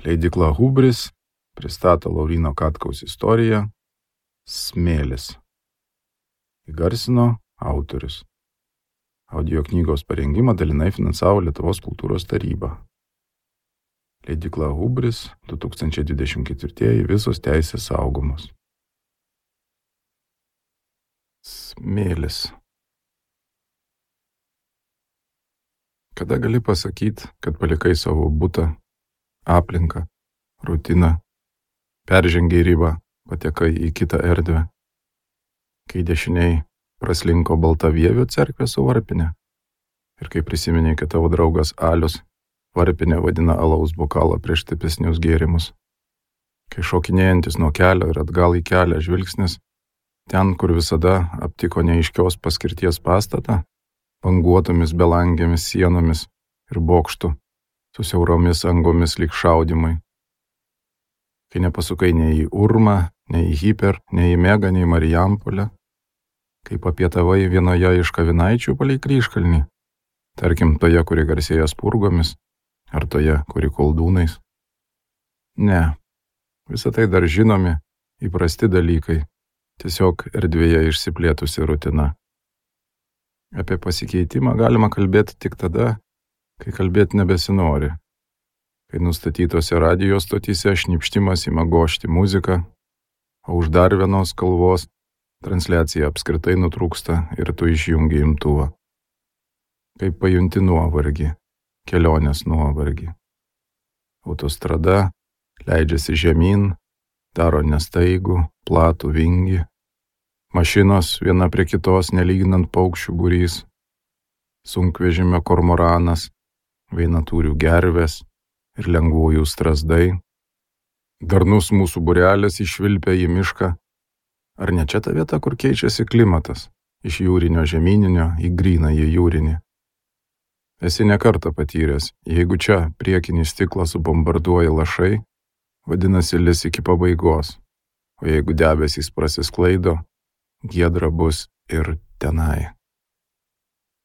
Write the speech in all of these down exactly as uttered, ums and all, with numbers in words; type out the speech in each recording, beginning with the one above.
Leidykla Hubris pristato Lauryno Katkaus istoriją Smėlis. Įgarsino autorius. Audio knygos parengimą dalinai finansavo Lietuvos kultūros taryba. Leidykla Hubris du tūkstančiai dvidešimt ketvirtieji visos teisės saugomos. Smėlis. Kada gali pasakyti, kad palikai savo butą, aplinką, rutiną, peržengiai ribą, patekai į kitą erdvę, kai dešiniai praslinko Baltavievio cerkvė su varpinė ir kai prisiminiai, kad tavo draugas Alius varpinė vadina alaus bokalą prieš stipesnius gėrimus, kai šokinėjantis nuo kelio ir atgal į kelią žvilgsnis, ten, kur visada aptiko neaiškios paskirties pastatą, banguotomis belangėmis sienomis ir bokštų, su siauromis angomis lyg šaudimai. Kai nepasukai nei į Urmą, nei į Hiper, nei į Megą, nei į Marijampolę, kai papietavai vienoje iš kavinaičių palei Kryžkalnį, tarkim toje, kuri garsėja spurgomis, ar toje, kuri koldūnais. Ne, visą tai dar žinomi, įprasti dalykai, tiesiog erdvėje išsiplėtusi rutina. Apie pasikeitimą galima kalbėti tik tada, kai kalbėti nebesinori, kai nustatytose radijo stotyse šnipštimas ima gošti muziką, o už dar vienos kalvos transliacija apskritai nutrūksta ir tu išjungi imtuvą. Kaip pajunti nuovargį, kelionės nuovargį. Autostrada leidžiasi žemyn, daro nestaigų, platų vingį. Mašinos viena prie kitos nelyginant paukščių būrys, sunkvežimio kormoranas, vainatūrių gervės ir lengvųjų strazdai. Darnus mūsų būrelis išvilpia į mišką. Ar ne čia ta vieta, kur keičiasi klimatas, iš jūrinio žemyninio į grynąjį jūrinį? Esi nekartą patyręs, jeigu čia priekinį stiklą subombarduoja lašai, vadinasi lis iki pabaigos, o jeigu debesys prasisklaido, giedra bus ir tenai.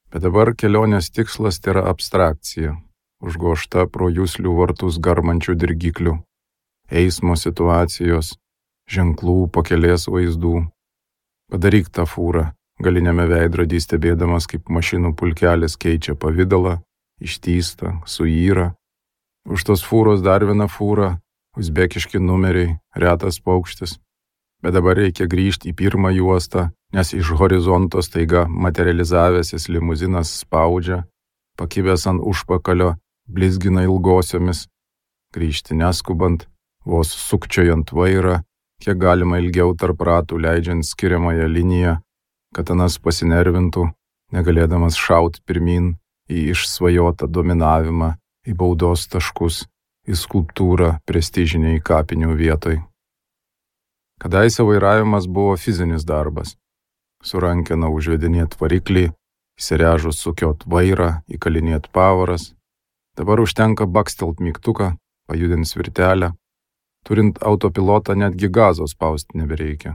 Bet dabar kelionės tikslas tai yra abstrakcija, užgožta pro juslių vartus garmančių dirgiklių, eismo situacijos, ženklų, pakelės vaizdų. Padaryk tą fūrą, galiniame veidrodį stebėdamas, kaip mašinų pulkelis keičia pavidalą, ištįsta, suyra. Už tos fūros dar viena fūra, uzbekiški numeriai, retas paukštis. Bet dabar reikia grįžti į pirmą juostą, nes iš horizonto staiga materializavęsis limuzinas spaudžia, pakibęs ant užpakalio, blizgina ilgosiomis, grįžti neskubant, vos sukčiojant vairą, kiek galima ilgiau tarp ratų leidžiant skiriamąją liniją, kad anas pasinervintų, negalėdamas šaut pirmin į išsvajotą dominavimą, į baudos taškus, į skulptūrą prestižiniai kapinių vietoj. Kadaise vairavimas buvo fizinis darbas. Su rankena užvedinėt variklį, įsirežus sukiot vairą, įkalinėt pavaras. Dabar užtenka bakstelt mygtuką, pajudint svirtelę. Turint autopilotą netgi gazo spausti nebereikia.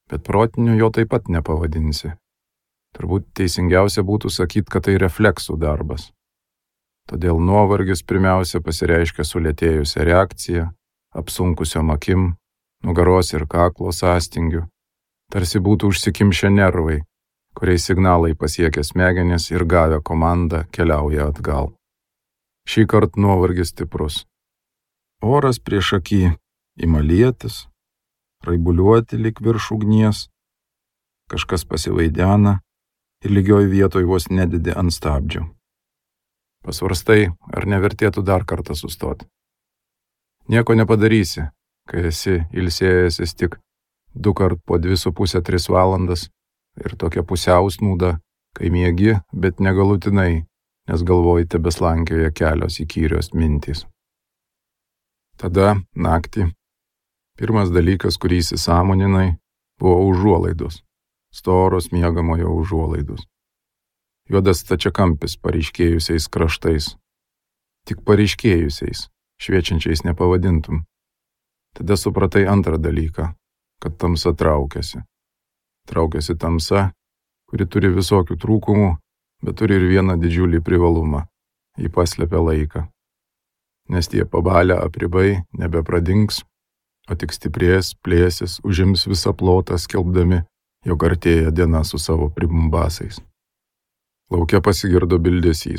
Bet protiniu jo taip pat nepavadinsi. Turbūt teisingiausia būtų sakyti, kad tai refleksų darbas. Todėl nuovargis pirmiausia pasireiškia sulėtėjusią reakciją, apsunkusiom akim, nugaros ir kaklo sąstingiu, tarsi būtų užsikimšę nervai, kuriais signalai pasiekia smegenis ir gavę komandą keliauja atgal. Šį kartą nuovargis stiprus. Oras prieš akį ima lietis, raibuliuoti lyg virš ugnies, kažkas pasivaidena ir lygioj vietoj vos nedidi ant stabdžių. Pasvarstai, ar nevertėtų dar kartą sustoti. Nieko nepadarysi, kai esi ilsėjęsis tik du kart po dvi su pusę tris valandas ir tokia pusiausnūda, kai miegi, bet negalutinai, nes galvoji tebeslankioja kelios įkyrios mintys. Tada, naktį, pirmas dalykas, kurį įsisąmoninai, buvo užuolaidos, storos miegamojo užuolaidos. Juodas stačiakampis paryškėjusiais kraštais, tik paryškėjusiais, šviečiančiais nepavadintum. Tada supratai antrą dalyką, kad tamsa traukiasi. Traukiasi tamsa, kuri turi visokių trūkumų, bet turi ir vieną didžiulį privalumą. Ji paslepia laiką. nes tie pabalę apribai nebepradings, o tik stiprės, plėsis, užims visą plotą, skelbdami, jog artėja diena su savo pribumbasais. Lauke pasigirdo bildesys.